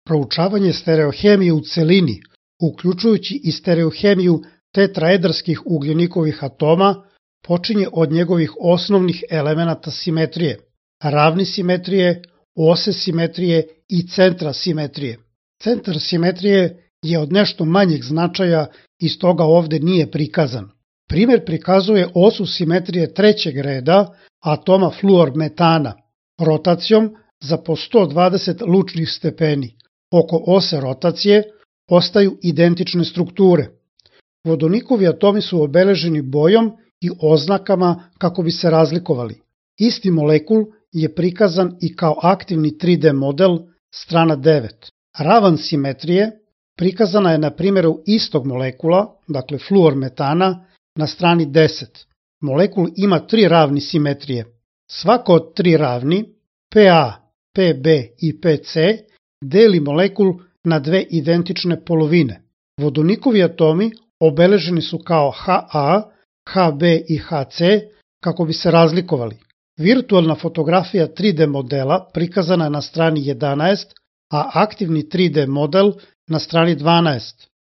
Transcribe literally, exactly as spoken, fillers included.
Proučavanje stereohemije u celini, uključujući i stereohemiju tetraedarskih ugljenikovih atoma, počinje od njegovih osnovnih elemenata simetrije, ravni simetrije, ose simetrije i centra simetrije. Centar simetrije je od nešto manjeg značaja i stoga ovde nije prikazan. Primer prikazuje osu simetrije trećeg reda atoma fluormetana, rotacijom za po sto dvadeset lučnih stepeni. Oko ose rotacije ostaju identične strukture. Vodonikovi atomi su obeleženi bojom i oznakama kako bi se razlikovali. Isti molekul je prikazan i kao aktivni tri D model, strana devet. Ravan simetrije prikazana je na primjeru istog molekula, dakle fluormetana, na strani deset. Molekul ima tri ravni simetrije. Svako od tri ravni, P A, P B i P C, deli molekul na dve identične polovine. Vodonikovi atomi obeleženi su kao H A, H B i H C kako bi se razlikovali. Virtualna fotografija tri D modela prikazana je na strani jedanaest, a aktivni tri D model na strani dvanaest.